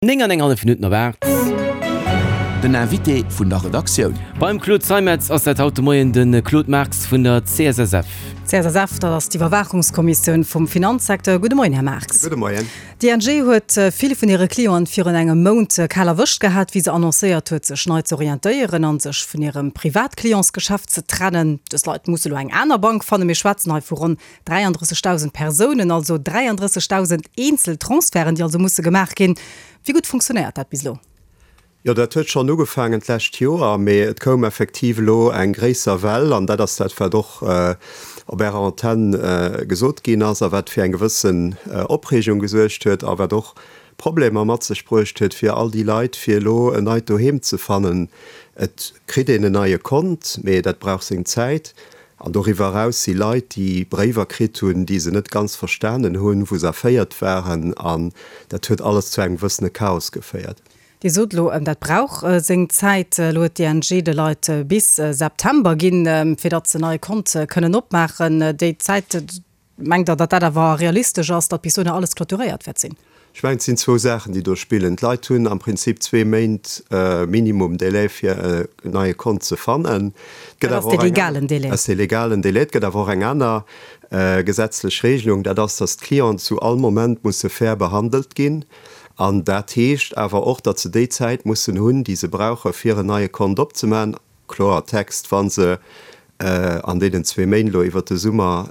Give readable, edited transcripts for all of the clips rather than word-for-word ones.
9 an eng hallef Minutten op 8. Den Invité vun der Redaktioun. Beim Claude Zeimetz ass dat haut de Moien de Claude Marx vun der CSSF. CSSF, dat ass d'Iwwerwaachungskommissioun vum Finanzsecteur. Gudde Moien, Här Marx. Gudde Moien. D'ING huet vill vun hire Clienten virun engem Mount kal erwëscht gehat, wéi se annoncéiert huet, sech nei ze orientéieren a sech vun hirem Privatclientsgeschäft ze trennen. Dës Leit musse lo eng aner Bank fannen. Mir schwätzen hei vu ronn 33.000 Persounen, also 33.000 eenzel Transferten, déi also musse gemaach ginn. Wéi gutt funktionéiert dat bis elo? Jo, dat huet schonn ugefaangen d'lescht Joer, mee et koum effektiv elo eng gréisser Well, an dat ass dat, wat och op Ärer Antenn gesot ginn ass a wat fir eng gewëssen Opreegung gesuergt huet a wat och Problemer mat sech bruecht huet fir all déi Leit, fir elo en neit Doheem ze fannen. Et kritt een en neie Kont, mee dat brauch seng Zäit. An doriwwer eraus si Leit, déi Bréiwer kritt hunn, déi se net ganz verstanen hunn, wou se erféiert waren. An dat huet alles zu engem gewëssene Chaos geféiert. Dir sot elo, dat brauch seng Zäit. Elo huet d'ING de Leit bis September ginn, fir datt se en neie Kont kënnen opmaachen. Déi Zäit, Mengt Der, datt dat awer realistesch ass, datt bis dohinner alles clôturéiert wäert sinn? Ech mengen, et sinn zwou Saachen, déi do spillen. D'Leit hunn am Prinzip zwee Méint minimum Délai, fir en neie Kont ze fannen. Et gëtt Dat ass awer dee och eng legalen aner, Délai. dat ass dee legalen Délai. Et gëtt awer och eng aner gesetzlech Regelung, dat ass, datt d'Clienten zu all Moment musse fair behandelt ginn. An dat heescht awer och, datt se déi Zäit mussen hunn, déi se brauche fir en neie Kont opzemaachen. Kloer Text, Wa se an deenen zwee Méint elo iwwert de Summer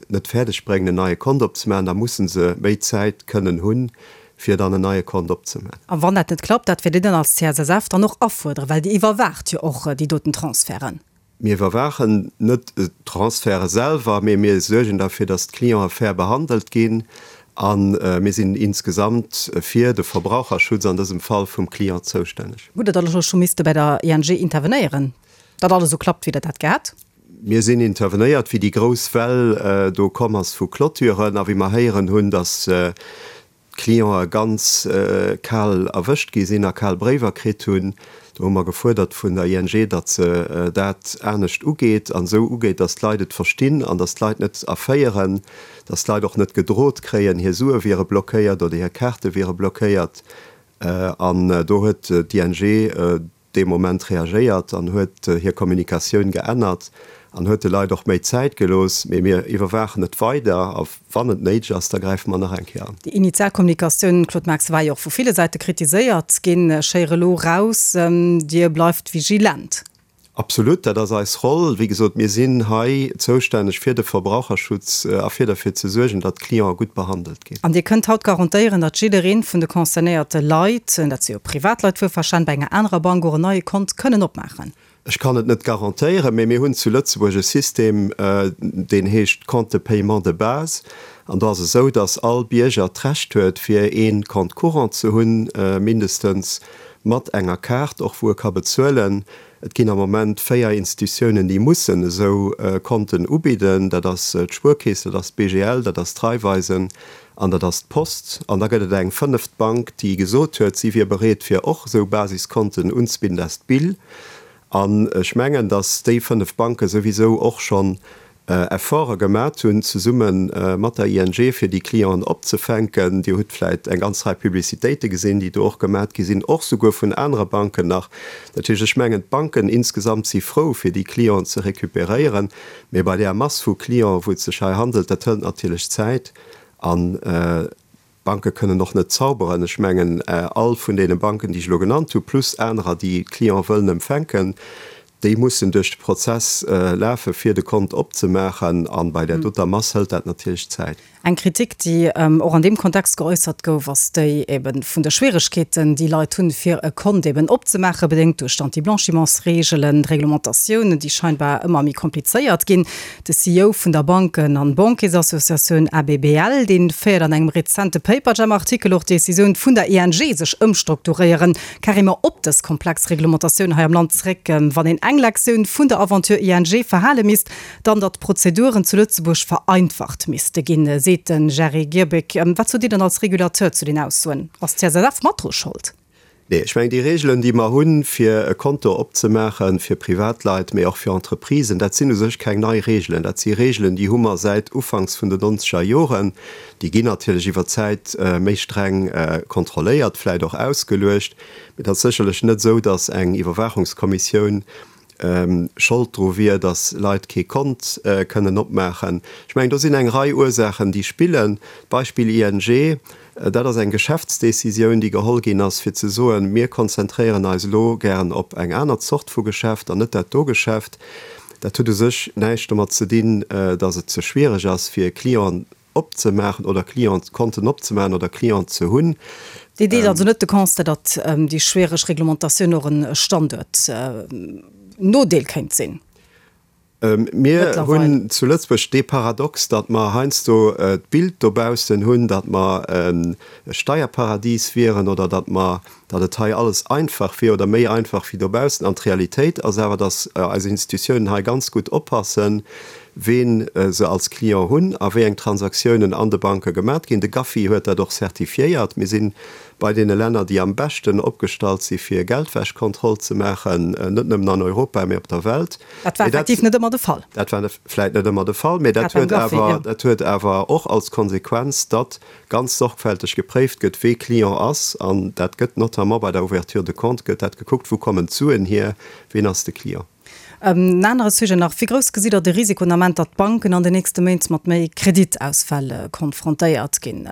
net fäerdeg bréngen, en neie Kont opzemaachen, da musse se méi Zäit kënnen hunn, fir dann en neie Kont opzemaachen. A wann dat net klappt, dat wäert Dir dann als CSSF dann och afuerderen, well Dir iwwerwaacht jo och déi doten Transferten. Mir iwwerwaachen net d'Transferte selwer, mee mir suergen derfir, datt d'Clientë fair behandelt ginn. A mir sinn insgesamt fir de Verbraucherschutz, an dësem Fall vum Client, zoustänneg. Hutt Der dann elo scho misste bei der ING intervenéieren, datt alles esou klappt, wéi Der dat gär hätt? Mir sinn intervenéiert, wéi déi grouss Well do komm ass vu Clôturen a wéi mer héieren hunn, datt d'Clientë ganz kal erwëscht gi sinn a kal Bréiwer kritt hunn. Do hu mer gefuerdert vun der ING, datt se dat anescht ugeet an esou ugeet, datt d'Leit et verstinn an datt d'Leit net erféieren, datt d'Leit och net gedrot kréien, hir Sue wiere blockéiert oder hir Kaarte wiere blockéiert. An do huet d'ING dee Moment reagéiert an huet hir Kommunikatioun geännert an huet de Leit och méi Zäit gelooss. Mee mir iwwerwaachen et weider a wann et néideg ass, da gräife mer nach eng Kéier an. Déi initial Kommunikatioun, Claude Marx, war jo och vu ville Säite kritiséiert ginn. Ech héiere elo raus, Dir bleift vigilent. Absolut, dat ass eis Roll. Wéi gesot, mir sinn hei zoustänneg fir de Verbraucherschutz a fir derfir ze suergen, datt d'Clientë gutt behandelt ginn. An Dir kënnt haut garantéieren, datt jidderee vun de concernéierte Leit, dat si jo Privatleit wuelverstanen, bei enger anerer Bank och en neie Kont kënnen opmaachen? Ech kann et net garantéieren, mee mir hunn zu Lëtzebuerg e System, deen heescht Compte de paiement de base. An do ass et esou, datt all Bierger d'Recht huet, fir ee Compte courant ze hunn, mindestens mat enger Kaart och, wou e ka bezuelen. Et ginn am Moment 4 Institutiounen, déi mussen esou Konten ubidden. Dat ass d'Spuerkeess, dat ass d'BGL, dat ass d'Raiffeisen an dat ass d'Post. An da gëtt et eng fënneft Bank, déi gesot huet, si wier bereet, fir och esou Basiskonten unzebidden, dat ass d'BIL. An ech mengen, datt déi 5 Banke souwisou och schonn Efforte gemat hunn, zesumme mat der ING, fir déi Clienten opzefänken. Dir hutt vläicht eng ganz Rei Publicitéite gesinn, déi do och gemat gi sinn, och souguer vun anere Banken nach. Dat heescht, ech mengen, d'Banken insgesamt si frou, fir déi Clienten ze recuperéieren. Mee bei där Mass vu Clienten, wou et sech hei handelt, dat hëlt natierlech Zäit. An D'Banke kënnen och net zauberen. Ech mengen, all vun deene Banken, déi ech elo genannt hu, plus anerer, déi Clientë wëllen empfänken, déi mussen duerch de Prozess lafen, fir de Kont opzemaachen. A bei där doter Mass hëlt dat natierlech Zäit. Eng Kritik, déi och an deem Kontext geäussert gouf, ass déi ebe vun de Schwieregkeeten, déi Leit hunn, fir e Kont eben opzemaachen, bedéngt duerch d'Anti-Blanchiments-Reegelen, d'Reglementatiounen, déi scheinbar ëmmer méi komplizéiert ginn. De CEO vun der Banken an Banquiersassociatioun ABBL, dee féiert an engem rezente Paperjam-Artikel och d'Decisioun vun der ING, sech ëmstrukturéieren, carrément op dës komplex Reglementatioun hei am Land zréck. Wann een eng Lektioun vun der Aventure ING verhale misst, dann datt d'Prozeduren zu Lëtzebuerg vereinfacht misste ginn, seet de Jerry Girbic. Wat sot Dir dann als Regulateur zu den Aussoen? Ass d'CSSF mat dru Schold? Nee, ech mengen, déi Regeln, déi mer hunn, fir e Konto opzemaachen, fir Privatleit, mee och fir Entreprisen, dat sinn u sech keng nei Regeln. Dat si Regeln, déi hu mer säit ufanks vun den nonzeger Joren. Déi ginn natierlech iwwer d'Zäit méi streng kontrolléiert, vläicht och ausgeluecht. Mee et ass sécherlech net esou, datt eng Iwwerwaachungskommissioun Schold dru wier, datt Leit kee Kont kënnen opmaachen. Ech mengen, do sinn eng Rei Ursaachen, déi spillen. D'Beispill ING, dat ass eng Geschäftsdecisioun, déi geholl ginn ass, fir ze soen, mir konzentréieren eis elo gären op eng aner Zort vu Geschäft an net dat do Geschäft. Dat huet u sech näischt domat ze dinn, datt et ze schwiereg ass, fir Clienten opzemaachen oder Clients, Konten opzemaachen oder Clients ze hunn. Dir deelt also net de Constat, datt déi schwiereg Reglementatioun och e Standuertnodeel kéint sinn? Mir hunn zu Lëtzebuerg dee Paradox, datt mer heiansdo d'Bild dobaussen hunn, datt mer e Steierparadies wieren oder datt mer, datt et hei alles einfach wier oder méi einfach wéi dobaussen. An d'Realitéit ass awer, datt eis Institutiounen hei ganz gutt oppassen, ween se als Client hunn a wéi eng Transaktiounen an de Banke gemat ginn. De GAFI huet dat och certifiéiert. Mir si bei deene Länner, déi am beschten opgestallt si fir Geldwäschkontroll ze maachen, net nëmmen an Europa, mee op der Welt. Dat war effektiv net ëmmer de Fall. Dat war vläit net ëmmer de Fall, mee dat huet awer, dat huet awer och als Konsequenz, datt ganz sorgfälteg gepréift gëtt, wee Client ass. An dat gëtt notamment bei der Ouverture de compte gëtt dat gekuckt, wou kommen d'Suen hier, ween ass de Client. En anere Sujet nach, Wéi grouss gesitt Der de Risiko den Ament, datt d'Banken an den nächste Méint mat méi Kreditausfäll konfrontéiert ginn?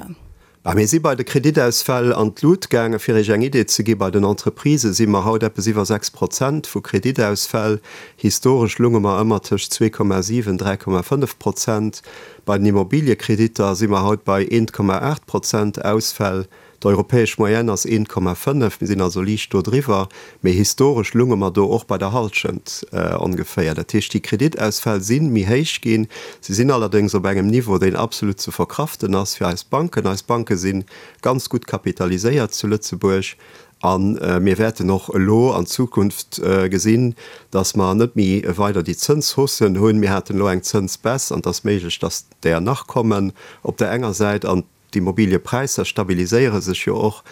Bah, mir si bei de Kreditausfäll an d'Lut gaangen. Fir Iech eng Idee ze gi, bei den Entreprisë si mer haut eppes iwwer 6 Prozent vu Kreditausfäll. Historesch lunge mer ëmmer tëscht 2,7, 3,5 Prozent. Bei den Immobiliekreditter si mer haut bei 1,8 Prozent Ausfäll. D'europäesch Moyenne ass 1,5, mir sinn also liicht do driwwer, mee historesch lunge mer do och bei der Hallschent ongeféier. Dat heescht, déi Kreditausfäll si méi héich ginn. Se sinn allerdéngs op engem Niveau, deen absolut ze verkraften ass fir eis Banken. Eis Banke si ganz gutt kapitaliséiert zu Lëtzebuerg a mir wäerten och elo an Zukunft gesinn, datt mer net méi weider déi Zënshaussen hunn. Mir haten elo eng Zënsbaisse an et ass méiglech, datt där nach kommen op der enger Säit an D'Immobiliëpräisser stabiliséiere sech jo och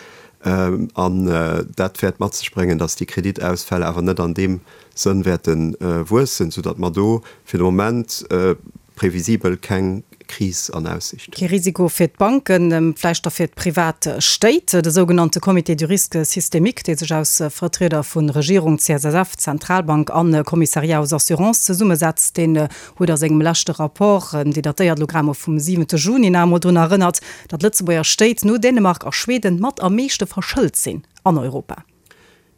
an dat wäert mat sech bréngen, datt déi Kreditausfäll awer net an deem Sënn wäerte wuessen, soudatt mer do fir de Moment previsibel keng Kris an Aussicht hunn. Kee Risiko fir d'Banken, vläicht da fir d'privat Stéit. De sougenannte Comité du risque systémique, dee sech aus Vertrieder vu Regierung, CSSF, Zentralbank an Commissariat aux assurances zesummesetzt, deen huet a sengem leschte Rapport, dee datéiert elo grad mol vum siwente Juni, nach emol drun erënnert, datt Lëtzebuerger Stéit no Dänemark a Schweden mat am meeschte verschëlt sinn an Europa.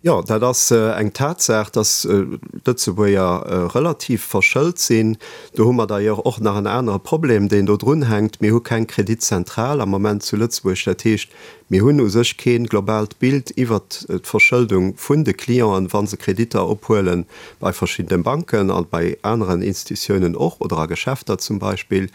Jo, dat ass eng Tatsaach, datt d'Lëtzebuerger relativ verschëlt sinn. Do hu mer d'ailleurs och nach en anere Problem, deen do drunhänkt, Mir hu keng Kreditzentral am Moment zu Lëtzebuerg. Dat heescht, Mir hunn u sech kee globaalt Bild iwwert d'Verschëldung vun de Clienten, wa se Kreditter ophuele bei verschiddene Banken a bei aneren Institutiounen och oder a Geschäfter zum Beispill.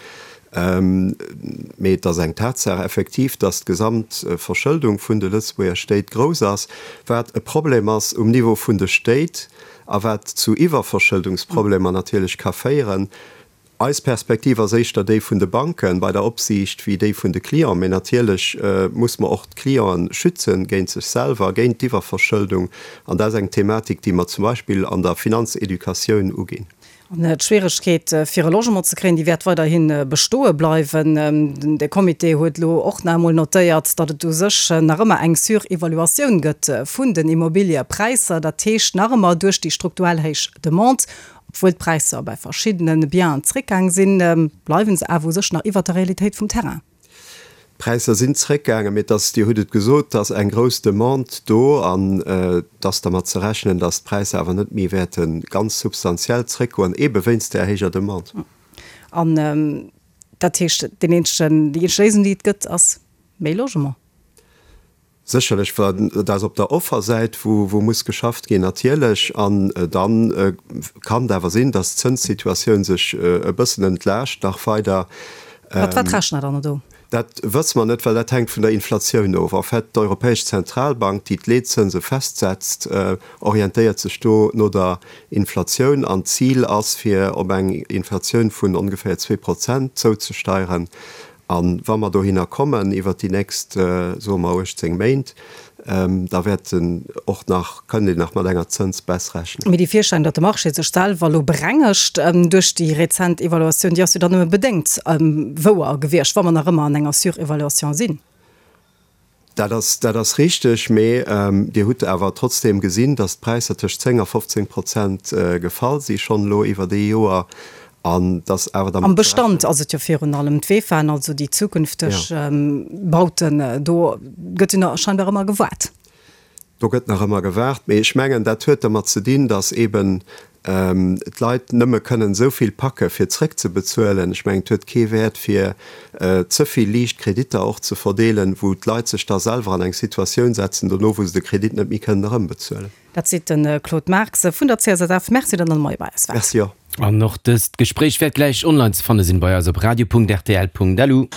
Mee et ass eng Tatsaach effektiv, dass d'Gesamtverschëldung vun de Lëtzebuerger Stéit grouss ass, wat e Problem ass um Niveau vun de Stéit a wat zu Iwwerverschëldungsproblemer natierlech ka féieren. Eis Perspektiv ass éischter déi vun de Banke bei der Opsiicht wéi déi vun de Clienten. Mee natierlech muss mer och d'Clienten schützen géint sech selwer, géint d'Iwwerverschëldung. An dat ass eng Thematik, déi mer zum Beispill an der Finanzeducatioun uginn. An d'Schwieregkeet, fir e Logement ze kréien, déi wäert weiderhi bestoe bleiwen. De Comité huet elo och nach emol notéiert, datt et u sech nach ëmmer eng Surevaluatioun gëtt vun den Immobiliëpräisser. Dat heescht nach ëmmer duerch déi strukturell héich Demande Obwuel d'Präisser bei verschiddene Bienen zréckgaang sinn, bleiwen se awer u sech nach iwwert der Realitéit vum Terrain. D'Präisser sinn zréckgaangen, mee et ass, Dir hutt et gesot, et ass eng grouss Demande do an et ass dermat ze rechnen, datt d'Präisser awer net méi wäerte ganz substantiell zréckgoen, eebe wéinst där héijer Demande. An dat heescht, deen eenzegen, déi eenzeg Léisung, déi et gëtt, ass méi Logement? Sécherlech, dat ass op der Offersäit, wou muss geschafft ginn, natierlech. An da kann et awer sinn, datt d'Zënssituatioun sech e bëssen entlaascht nach weider. Mat wat rechent Der dann do? Dat wësse mer net, well dat hänkt vun der Inflatioun of. En fait, d'Europäesch Zentralbank, déi d'Leetzënse festsetzt, orientéiert sech do no der Inflatioun. An d'Zil ass, fir op eng Inflatioun vun ongeféier 2 Prozent zouzesteieren. A wa mer dohinner kommen iwwert déi nächst, soe mer, 18 Méint, Da wäert en och nach, kënnt een nach mat enger Zënsbaisse rechnen. Mee déi Virstellung, datt de Marché sech selwer elo berengegt duerch déi rezent Evaluatioun, déi ass jo dann nëmme bedéngt wouer gewiescht, wa mer nach ëmmer an enger Surévaluation sinn. Dat ass, dat ass richteg, mee Dir hutt awer trotzdeem gesinn, datt d'Präisser tëscht 10 a 15 Prozent gefall si schonn elo iwwert ee Joer an datt awer dermat. Am Bestand ass et jo virun allem d'VEFAen, also déi zukünfteg Bauten. Do gëtt jo nach scheinbar ëmmer gewaart. Do gëtt nach ëmmer gewaart, mee ech mengen, dat huet dermat ze dinn, datt eeben d'Leit nëmme kënnen esou vill packe fir zréckzebezuelen. Ech mengen, et huet kee Wäert fir ze vill liicht Kreditter och ze verdeelen, wou d'Leit sech da selwer an eng Situatioun setzen dono, wou se de Kredit net méi kënnen erëmbezuelen. Dat seet de Claude Marx vun der CSSF. Merci, datt Der de Moie bei eis waart. Merci och. An och dëst Gespréich wäert gläich online ze fanne sinn bei eis op radio.rtl.lu.